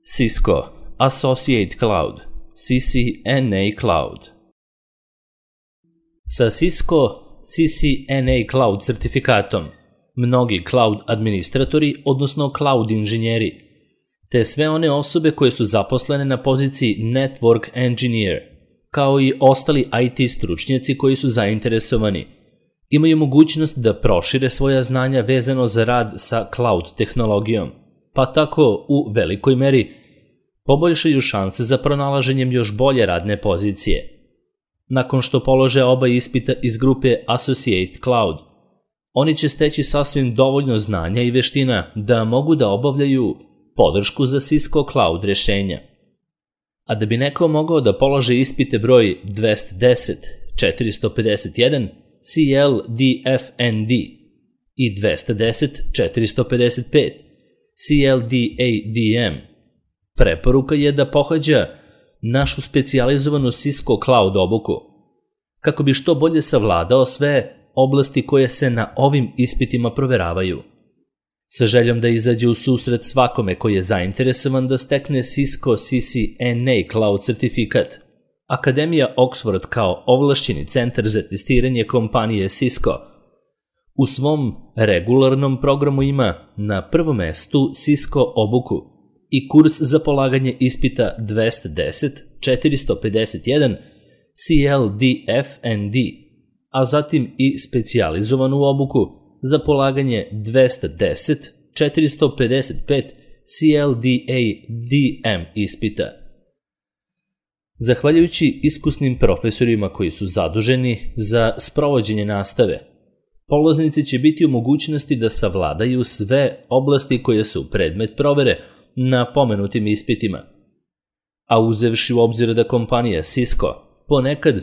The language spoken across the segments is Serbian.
Cisco Associate Cloud, CCNA Cloud. Sa Cisco CCNA Cloud certifikatom, mnogi cloud administratori, odnosno cloud inženjeri, te sve one osobe koje su zaposlene na poziciji Network Engineer, kao i ostali IT stručnjaci koji su zainteresovani, imaju mogućnost da prošire svoja znanja vezano za rad sa cloud tehnologijom, pa tako u velikoj meri poboljšaju šanse za pronalaženjem još bolje radne pozicije. Nakon što polože oba ispita iz grupe Associate Cloud, oni će steći sasvim dovoljno znanja i veština da mogu da obavljaju podršku za Cisco Cloud rešenja. A da bi neko mogao da polože ispite broj 210, 451, CLDFND i 210, 455, CLDADM, preporuka je da pohađa našu specijalizovanu Cisco Cloud obuku, kako bi što bolje savladao sve oblasti koje se na ovim ispitima proveravaju. Sa željom da izađe u susret svakome koji je zainteresovan da stekne Cisco CCNA Cloud certifikat, Akademija Oxford kao ovlašćeni centar za testiranje kompanije Cisco u svom regularnom programu ima na prvom mestu Cisco obuku i kurs za polaganje ispita 210, 451, CLDFND, a zatim i specijalizovanu obuku za polaganje 210, 455, CLDADM ispita. Zahvaljujući iskusnim profesorima koji su zaduženi za sprovođenje nastave, polaznici će biti u mogućnosti da savladaju sve oblasti koje su predmet provere na pomenutim ispitima. A uzevši u obzir da kompanija Cisco ponekad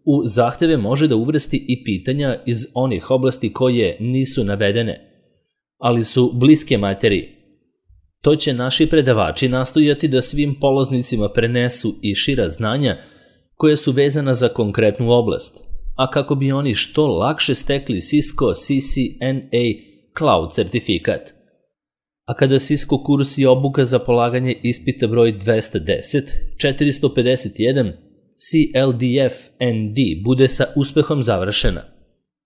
u zahteve može da uvrsti i pitanja iz onih oblasti koje nisu navedene, ali su bliske materiji, to će naši predavači nastojati da svim polaznicima prenesu i šira znanja koje su vezana za konkretnu oblast, a kako bi oni što lakše stekli Cisco CCNA Cloud certifikat. A kada Cisco kurs i obuka za polaganje ispita broj 210, 451, CLDFND bude sa uspehom završena,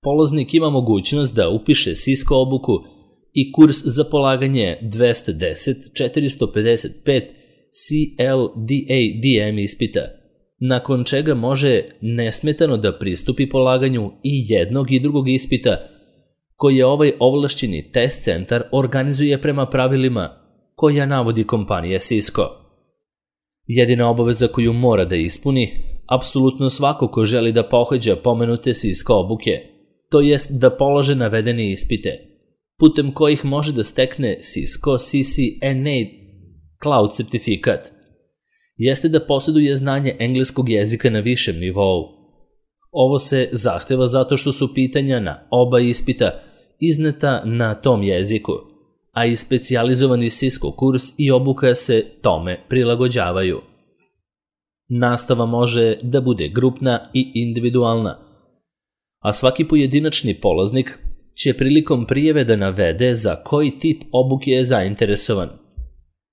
polaznik ima mogućnost da upiše Cisco obuku i kurs za polaganje 210, 455, CLDADM ispita, nakon čega može nesmetano da pristupi polaganju i jednog i drugog ispita koje ovaj ovlašćeni test centar organizuje prema pravilima koja navodi kompanija Cisco. Jedina obaveza koju mora da ispuni apsolutno svako ko želi da pohađa pomenute Cisco obuke, to jest da polože navedene ispite, putem kojih može da stekne Cisco CCNA Cloud certifikat, jeste da posjeduje znanje engleskog jezika na višem nivou. Ovo se zahteva zato što su pitanja na oba ispita izneta na tom jeziku, a i specijalizovani Cisco kurs i obuka se tome prilagođavaju. Nastava može da bude grupna i individualna, a svaki pojedinačni polaznik će prilikom prijave da navede za koji tip obuke je zainteresovan.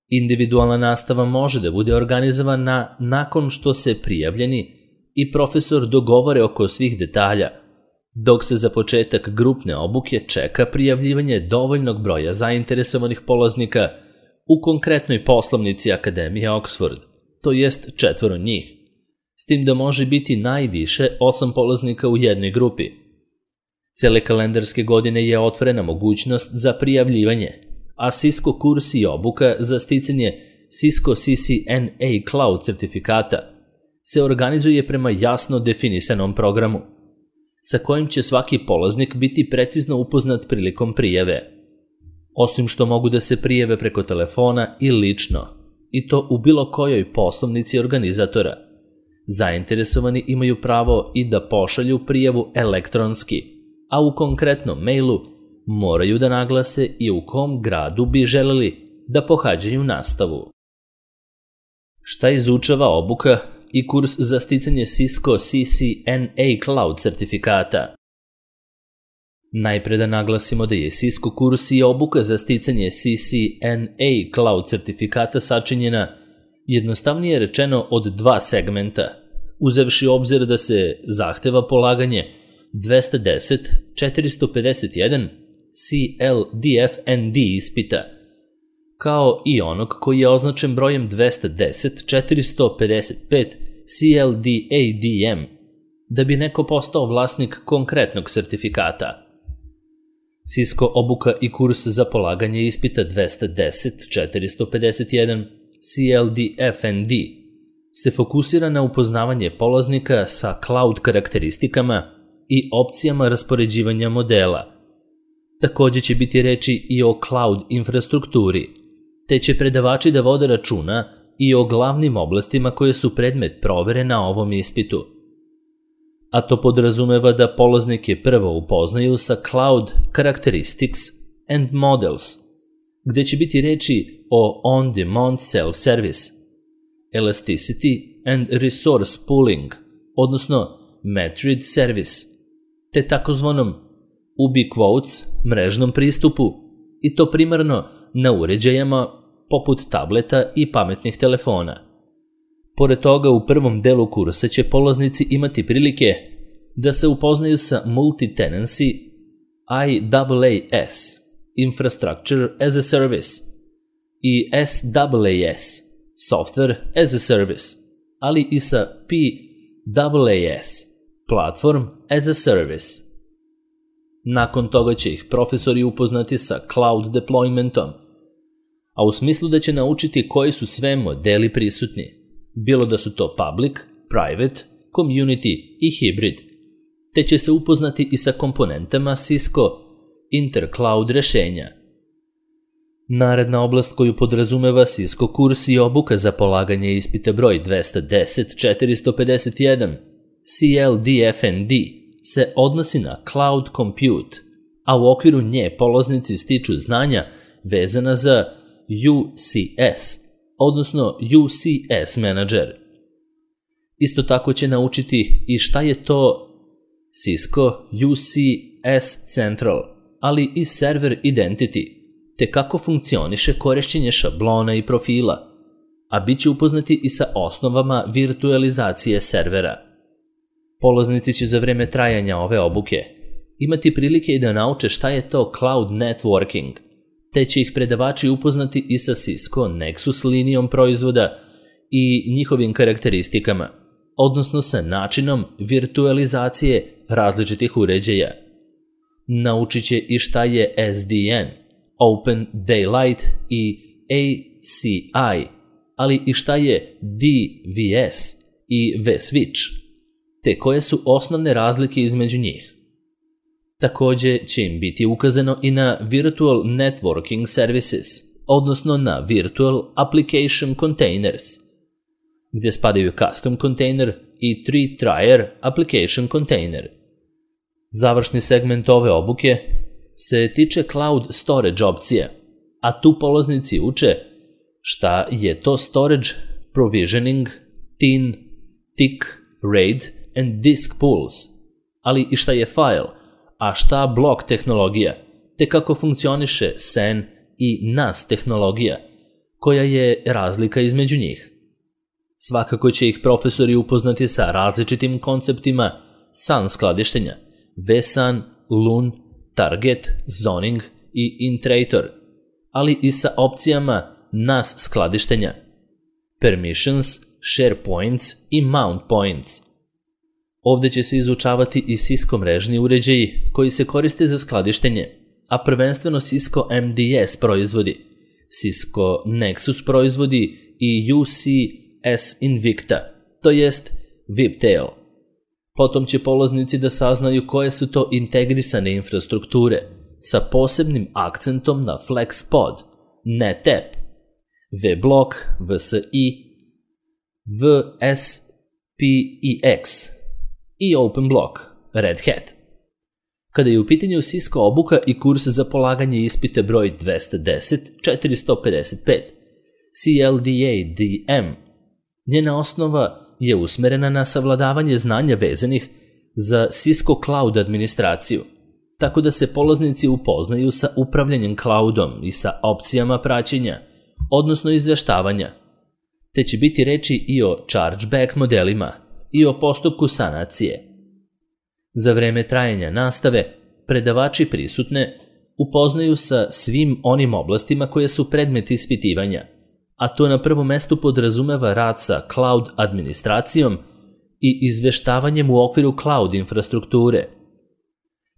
Individualna nastava može da bude organizovana nakon što se prijavljeni i profesor dogovore oko svih detalja, dok se za početak grupne obuke čeka prijavljivanje dovoljnog broja zainteresovanih polaznika u konkretnoj poslovnici Akademije Oxford, to jest 4 njih, s tim da može biti najviše 8 polaznika u jednoj grupi. Cele kalendarske godine je otvorena mogućnost za prijavljivanje, a Cisco kurs i obuka za sticanje Cisco CCNA Cloud certifikata se organizuje prema jasno definisanom programu, sa kojim će svaki polaznik biti precizno upoznat prilikom prijave. Osim što mogu da se prijave preko telefona i lično, i to u bilo kojoj poslovnici organizatora, zainteresovani imaju pravo i da pošalju prijavu elektronski, a u konkretnom mailu moraju da naglase i u kom gradu bi želeli da pohađaju nastavu. Šta izučava obuka i kurs za sticanje Cisco CCNA Cloud certifikata? Najpre da naglasimo da je Cisco kurs i obuka za sticanje CCNA Cloud certifikata sačinjena, jednostavnije rečeno, od dva segmenta, uzevši obzir da se zahteva polaganje 210-451 CLDF-ND ispita, kao i onog koji je označen brojem 210-455 CLDADM, da bi neko postao vlasnik konkretnog sertifikata. Cisco obuka i kurs za polaganje ispita 210-451 CLDF-ND se fokusira na upoznavanje polaznika sa cloud karakteristikama i opcijama raspoređivanja modela. Takođe će biti reči i o cloud infrastrukturi, te će predavači da vode računa i o glavnim oblastima koje su predmet provere na ovom ispitu. A to podrazumeva da polaznike prvo upoznaju sa Cloud Characteristics and Models, gde će biti reči o On-Demand Self-Service, Elasticity and Resource Pooling, odnosno Metered Service, te takozvanom ubiquitous mrežnom pristupu, i to primarno na uređajima poput tableta i pametnih telefona. Pored toga, u prvom delu kursa će polaznici imati prilike da se upoznaju sa Multi-Tenancy IaaS, Infrastructure as a Service, i SaaS, Software as a Service, ali i sa PaaS, Platform as a Service. Nakon toga će ih profesori upoznati sa cloud deploymentom, a u smislu da će naučiti koji su sve modeli prisutni, bilo da su to public, private, community i hybrid, te će se upoznati i sa komponentama Cisco Intercloud rešenja. Naredna oblast koju podrazumeva Cisco kurs i obuka za polaganje ispita broj 210-451 CLDF-ND se odnosi na Cloud Compute, a u okviru nje polaznici stiču znanja vezana za UCS, odnosno UCS Manager. Isto tako će naučiti i šta je to Cisco UCS Central, ali i Server Identity, te kako funkcioniše korišćenje šablona i profila, a bit će upoznati i sa osnovama virtualizacije servera. Polaznici će za vreme trajanja ove obuke imati prilike i da nauče šta je to Cloud Networking, te će ih predavači upoznati i sa Cisco Nexus linijom proizvoda i njihovim karakteristikama, odnosno sa načinom virtualizacije različitih uređaja. Naučit će i šta je SDN, Open Daylight i ACI, ali i šta je DVS i vSwitch, te koje su osnovne razlike između njih. Takođe će im biti ukazano i na Virtual Networking Services, odnosno na Virtual Application Containers, gde spadaju Custom Container i 3-Tier Application Container. Završni segment ove obuke se tiče Cloud Storage opcija, a tu polaznici uče šta je to Storage Provisioning, TIN, TIC, RAID and Disk Pools, ali i šta je file, a šta blok tehnologija, te kako funkcioniše SAN i NAS tehnologija, koja je razlika između njih. Svakako će ih profesori upoznati sa različitim konceptima SAN skladištenja, vSAN, LUN, Target, Zoning i Intrator, ali i sa opcijama NAS skladištenja, Permissions, Share Points i Mount Points. Ovde će se izučavati i Cisco mrežni uređaji koji se koriste za skladištenje, a prvenstveno Cisco MDS proizvodi, Cisco Nexus proizvodi i UCS Invicta, to jest VIPtail. Potom će polaznici da saznaju koje su to integrisane infrastrukture sa posebnim akcentom na FlexPod, NetApp, vBlock, VSI, VSPEX i OpenBlock, Red Hat. Kada je u pitanju Cisco obuka i kurs za polaganje ispita broj 210-455, CLDADM, njena osnova je usmerena na savladavanje znanja vezanih za Cisco Cloud administraciju, tako da se polaznici upoznaju sa upravljanjem cloudom i sa opcijama praćenja, odnosno izveštavanja, te će biti reči i o chargeback modelima i o postupku sanacije. Za vreme trajanja nastave, predavači prisutne upoznaju sa svim onim oblastima koje su predmet ispitivanja, a to na prvom mestu podrazumeva rad sa cloud administracijom i izveštavanjem u okviru cloud infrastrukture.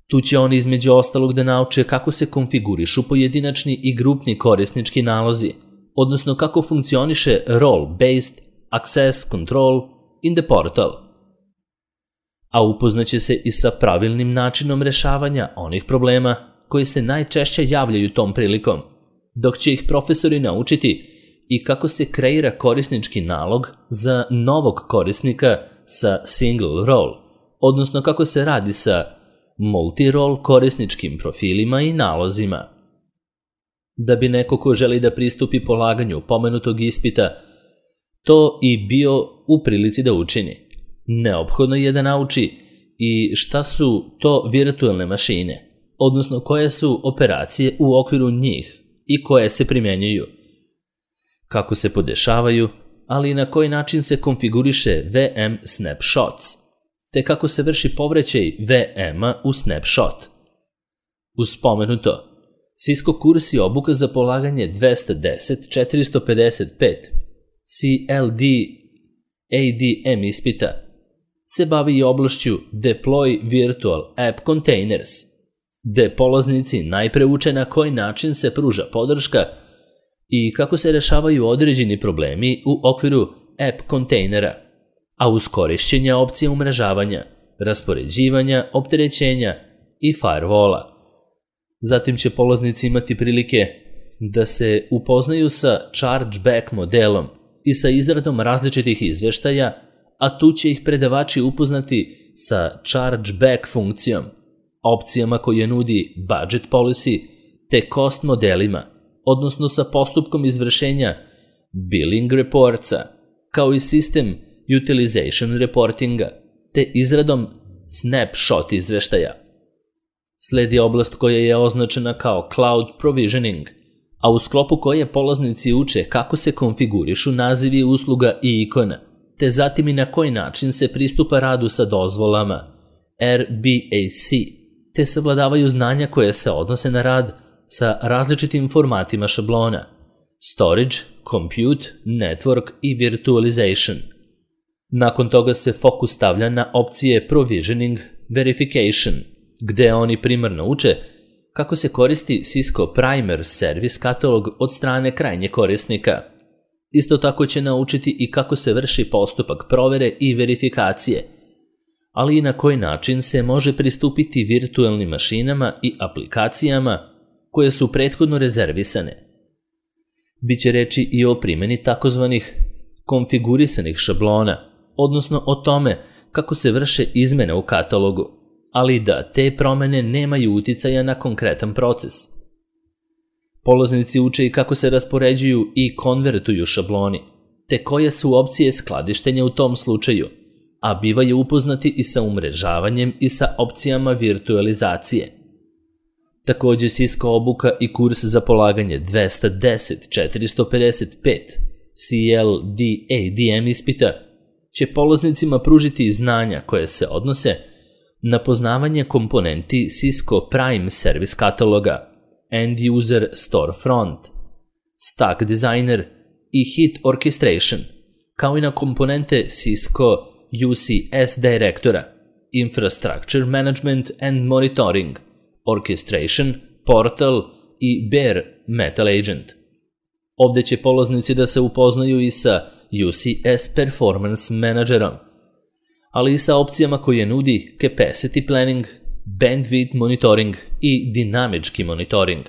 Tu će oni između ostalog da nauče kako se konfigurišu pojedinačni i grupni korisnički nalozi, odnosno kako funkcioniše role-based access control in the portal. A upoznaće se i sa pravilnim načinom rešavanja onih problema koji se najčešće javljaju tom prilikom, dok će ih profesori naučiti i kako se kreira korisnički nalog za novog korisnika sa single role, odnosno kako se radi sa multi-role korisničkim profilima i nalozima. Da bi neko ko želi da pristupi polaganju pomenutog ispita to i bio u prilici da učini, neophodno je da nauči i šta su to virtualne mašine, odnosno koje su operacije u okviru njih i koje se primenjuju, kako se podešavaju, ali i na koji način se konfiguriše VM snapshots, te kako se vrši povraćaj VM-a u snapshot. Uz spomenuto, Cisco kurs i obuka za polaganje 210-455 CLD ADM ispita se bavi i oblašću Deploy Virtual App Containers, gde polaznici najpre uče na koji način se pruža podrška i kako se rešavaju određeni problemi u okviru app kontejnera, a uz korišćenje opcije umrežavanja, raspoređivanja, opterećenja i firewalla. Zatim će polaznici imati prilike da se upoznaju sa chargeback modelom i sa izradom različitih izveštaja, a tu će ih predavači upoznati sa chargeback funkcijom, opcijama koje nudi budget policy te cost modelima, odnosno sa postupkom izvršenja billing reportsa, kao i sistem utilization reportinga, te izradom snapshot izveštaja. Sledi oblast koja je označena kao cloud provisioning, a u sklopu koje polaznici uče kako se konfigurišu nazivi usluga i ikona, te zatim i na koji način se pristupa radu sa dozvolama RBAC, te savladavaju znanja koje se odnose na rad sa različitim formatima šablona, storage, compute, network i virtualization. Nakon toga se fokus stavlja na opcije provisioning verification, gde oni primarno uče kako se koristi Cisco Primer Service katalog od strane krajnjeg korisnika. Isto tako će naučiti i kako se vrši postupak provere i verifikacije, ali i na koji način se može pristupiti virtualnim mašinama i aplikacijama koje su prethodno rezervisane. Biće reči i o primjeni takozvanih konfigurisanih šablona, odnosno o tome kako se vrše izmene u katalogu, ali da te promene nemaju uticaja na konkretan proces. Polaznici uče i kako se raspoređuju i konvertuju šabloni, te koje su opcije skladištenja u tom slučaju, a bivaju upoznati i sa umrežavanjem i sa opcijama virtualizacije. Takođe Cisco obuka i kurs za polaganje 210-455 CLD ADM ispita će polaznicima pružiti znanja koje se odnose na poznavanje komponenti Cisco Prime Service kataloga, End User Storefront, Stack Designer i Hit Orchestration, kao i na komponente Cisco UCS Directora, Infrastructure Management and Monitoring, Orchestration, Portal i Bare Metal Agent. Ovde će polaznici da se upoznaju i sa UCS Performance Managerom, ali i sa opcijama koje nudi Capacity Planning, Bandwidth Monitoring i Dinamički monitoring.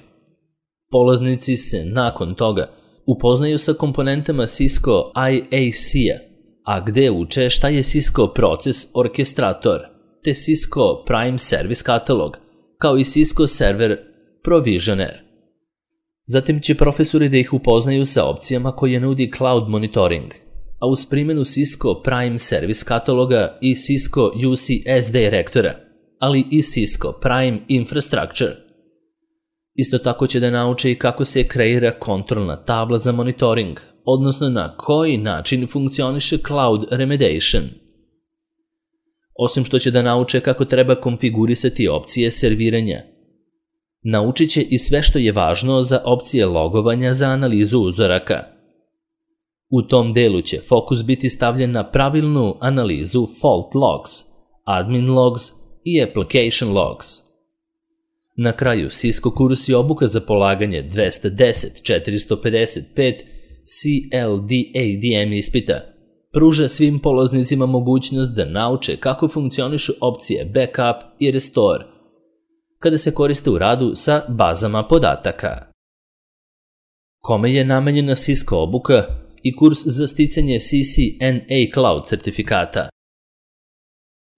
Polaznici se nakon toga upoznaju sa komponentama Cisco IAC-a, a gde uče šta je Cisco Process Orchestrator, te Cisco Prime Service katalog, kao i Cisco Server Provisioner. Zatim će profesori da ih upoznaju sa opcijama koje nudi Cloud Monitoring, a uz primjenu Cisco Prime Service kataloga i Cisco UCS Directora ali i Cisco Prime Infrastructure. Isto tako će da nauče i kako se kreira kontrolna tabla za monitoring, odnosno na koji način funkcioniše Cloud Remediation. Osim što će da nauče kako treba konfigurisati opcije serviranja, naučit će i sve što je važno za opcije logovanja za analizu uzoraka. U tom delu će fokus biti stavljen na pravilnu analizu fault logs, admin logs i application logs. Na kraju, Cisco kurs i obuka za polaganje 210-455 CLDADM ispita pruža svim polaznicima mogućnost da nauče kako funkcionišu opcije backup i restore kada se koriste u radu sa bazama podataka. Kome je namenjena Cisco obuka i kurs za sticanje CCNA Cloud certifikata?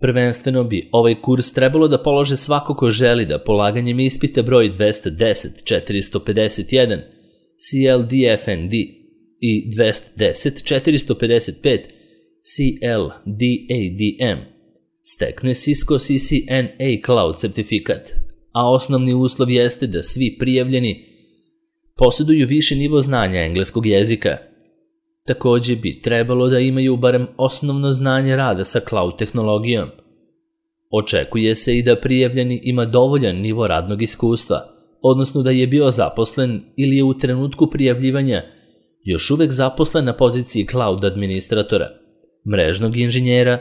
Prvenstveno bi ovaj kurs trebalo da polože svako ko želi da polaganjem ispita broj 210-451 CLDFND i 210-455 CLDADM stekne Cisco CCNA Cloud certifikat, a osnovni uslov jeste da svi prijavljeni posjeduju viši nivo znanja engleskog jezika. Takođe bi trebalo da imaju barem osnovno znanje rada sa cloud tehnologijom. Očekuje se i da prijavljeni ima dovoljan nivo radnog iskustva, odnosno da je bio zaposlen ili je u trenutku prijavljivanja još uvek zaposlen na poziciji cloud administratora, mrežnog inženjera,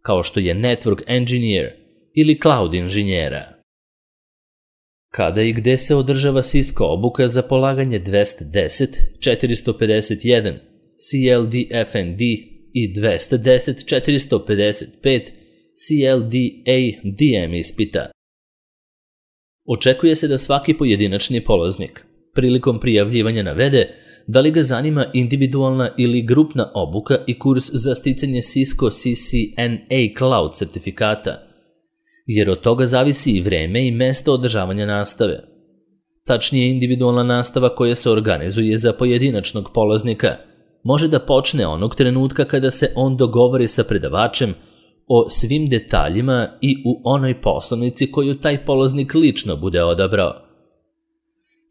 kao što je network engineer ili cloud inženjera. Kada i gde se održava Cisco obuka za polaganje 210-451 CLDFND i 210-455 CLDADM ispita? Očekuje se da svaki pojedinačni polaznik prilikom prijavljivanja navede da li ga zanima individualna ili grupna obuka i kurs za sticanje Cisco CCNA Cloud certifikata, jer od toga zavisi i vreme i mesto održavanja nastave. Tačnije, individualna nastava koja se organizuje za pojedinačnog polaznika može da počne onog trenutka kada se on dogovori sa predavačem o svim detaljima i u onoj poslovnici koju taj polaznik lično bude odabrao.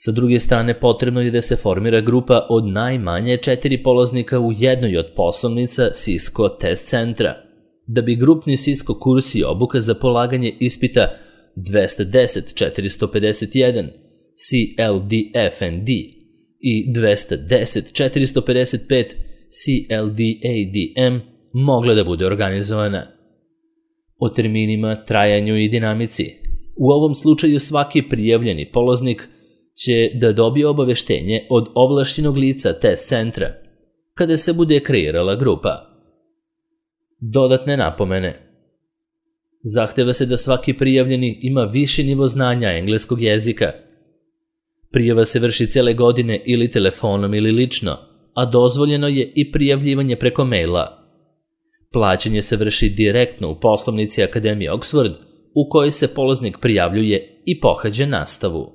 Sa druge strane, potrebno je da se formira grupa od najmanje 4 polaznika u jednoj od poslovnica Cisco test centra, da bi grupni Cisco kurs i obuka za polaganje ispita 210-451 CLDFND i 210-455 CLDADM mogla da bude organizovana. O terminima, trajanju i dinamici. U ovom slučaju svaki prijavljeni polaznik će da dobije obaveštenje od ovlašćenog lica test centra kada se bude kreirala grupa. Dodatne napomene. Zahteva se da svaki prijavljeni ima viši nivo znanja engleskog jezika. Prijava se vrši cele godine ili telefonom ili lično, a dozvoljeno je i prijavljivanje preko maila. Plaćanje se vrši direktno u poslovnici Akademije Oxford, u kojoj se polaznik prijavljuje i pohađa nastavu.